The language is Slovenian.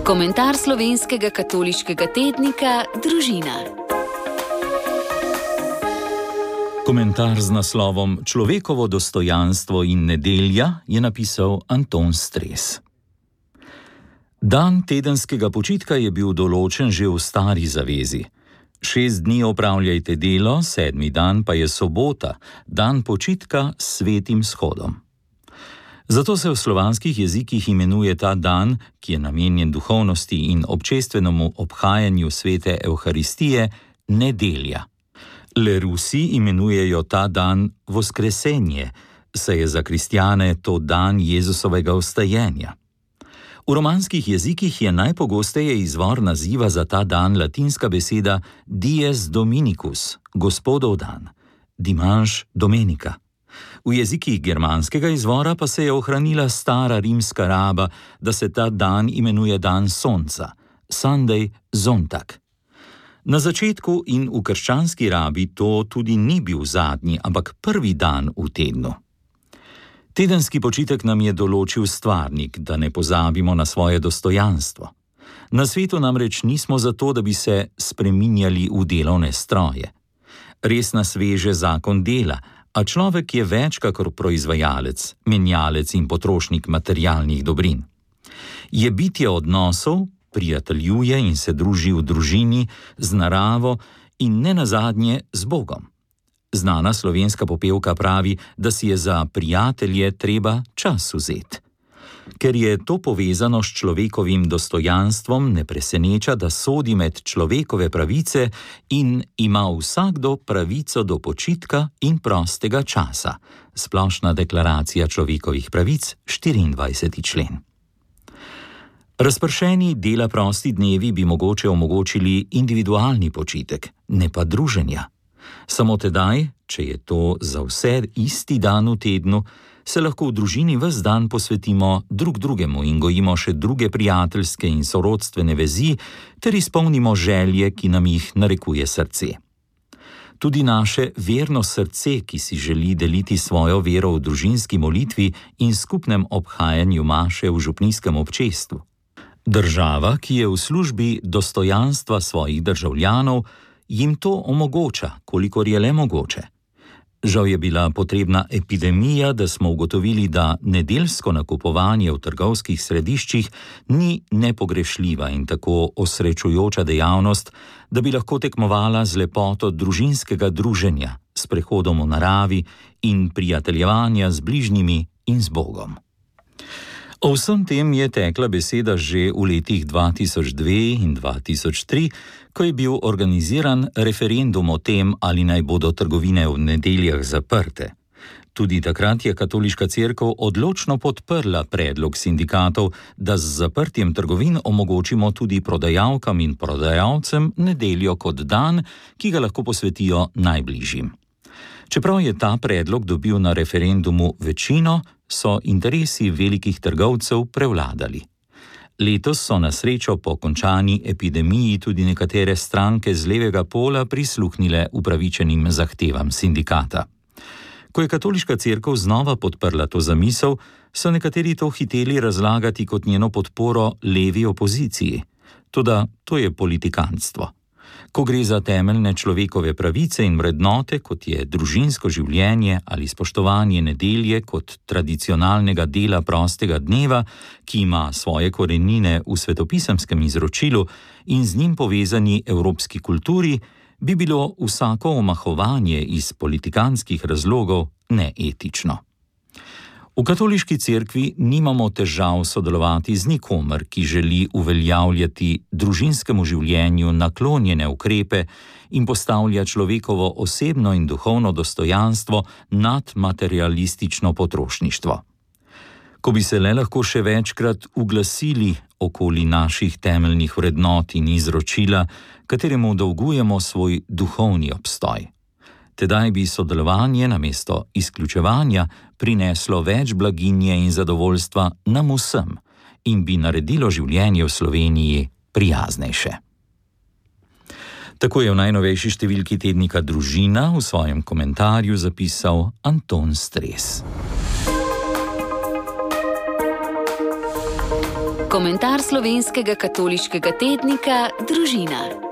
Komentar slovenskega katoliškega tednika Družina. Komentar z naslovom Človekovo dostojanstvo in nedelja je napisal Anton Stres. Dan tedenskega počitka je bil določen že v stari zavezi. 6 dni opravljajte delo, 7. dan pa je sobota, dan počitka s svetim shodom. Zato se v slovanskih jezikih imenuje ta dan, ki je namenjen duhovnosti in občestvenemu obhajanju svete Evharistije, nedelja. Le Rusi imenujejo ta dan Voskresenje, saj je za kristjane to dan Jezusovega vstajenja. V romanskih jezikih je najpogosteje izvor naziva za ta dan latinska beseda Dies Dominicus, Gospodov dan, Dimanche Domenica. V jezikih germanskega izvora pa se je ohranila stara rimska raba, da se ta dan imenuje dan sonca, Sunday Zontag. Na začetku in v krščanski rabi to tudi ni bil zadnji, ampak prvi dan v tednu. Tedenski počitek nam je določil stvarnik, da ne pozabimo na svoje dostojanstvo. Na svetu namreč nismo zato, da bi se spreminjali v delovne stroje. Res nas veže zakon dela, a človek je več kakor proizvajalec, menjalec in potrošnik materialnih dobrin. Je bitje odnosov, prijateljuje in se druži v družini, z naravo in ne nazadnje z Bogom. Znana slovenska popevka pravi, da si je za prijatelje treba čas vzeti. Ker je to povezano s človekovim dostojanstvom, ne preseneča, da sodi med človekove pravice in ima vsakdo pravico do počitka in prostega časa. Splošna deklaracija človekovih pravic, 24. člen. Razpršeni dela prosti dnevi bi mogoče omogočili individualni počitek, ne pa druženja. Samo tedaj, če je to za vse isti dan v tednu, se lahko v družini ves dan posvetimo drug drugemu in gojimo še druge prijateljske in sorodstvene vezi ter izpolnimo želje, ki nam jih narekuje srce. Tudi naše verno srce, ki si želi deliti svojo vero v družinski molitvi in skupnem obhajanju maše v župnijskem občestvu. Država, ki je v službi dostojanstva svojih državljanov, jim to omogoča, kolikor je le mogoče. Žal je bila potrebna epidemija, da smo ugotovili, da nedeljsko nakupovanje v trgovskih središčih ni nepogrešljiva in tako osrečujoča dejavnost, da bi lahko tekmovala z lepoto družinskega druženja, s prehodom v naravi in prijateljevanja z bližnjimi in z Bogom. O vsem tem je tekla beseda že v letih 2002 in 2003, ko je bil organiziran referendum o tem, ali naj bodo trgovine v nedeljah zaprte. Tudi takrat je katoliška cerkev odločno podprla predlog sindikatov, da z zaprtjem trgovin omogočimo tudi prodajalkam in prodajalcem nedeljo kot dan, ki ga lahko posvetijo najbližjim. Čeprav je ta predlog dobil na referendumu večino, so interesi velikih trgovcev prevladali. Letos so na srečo po končani epidemiji tudi nekatere stranke z levega pola prisluhnile upravičenim zahtevam sindikata. Ko je katoliška cerkev znova podprla to zamisel, so nekateri to hiteli razlagati kot njeno podporo levi opoziciji. Toda to je politikantstvo. Ko gre za temeljne človekove pravice in vrednote, kot je družinsko življenje ali spoštovanje nedelje kot tradicionalnega dela prostega dneva, ki ima svoje korenine v svetopisemskem izročilu in z njim povezani evropski kulturi, bi bilo vsako omahovanje iz politikantskih razlogov neetično. V katoliški cerkvi nimamo težav sodelovati z nikomer, ki želi uveljavljati družinskemu življenju naklonjene ukrepe in postavlja človekovo osebno in duhovno dostojanstvo nad materialistično potrošništvo. Ko bi se le lahko še večkrat uglasili okoli naših temeljnih vrednot in izročila, kateremu dolgujemo svoj duhovni obstoj. Tedaj bi sodelovanje namesto izključevanja prineslo več blaginje in zadovoljstva nam vsem in bi naredilo življenje v Sloveniji prijaznejše. Tako je v najnovejši številki tednika Družina v svojem komentarju zapisal Anton Stres. Komentar slovenskega katoliškega tednika Družina.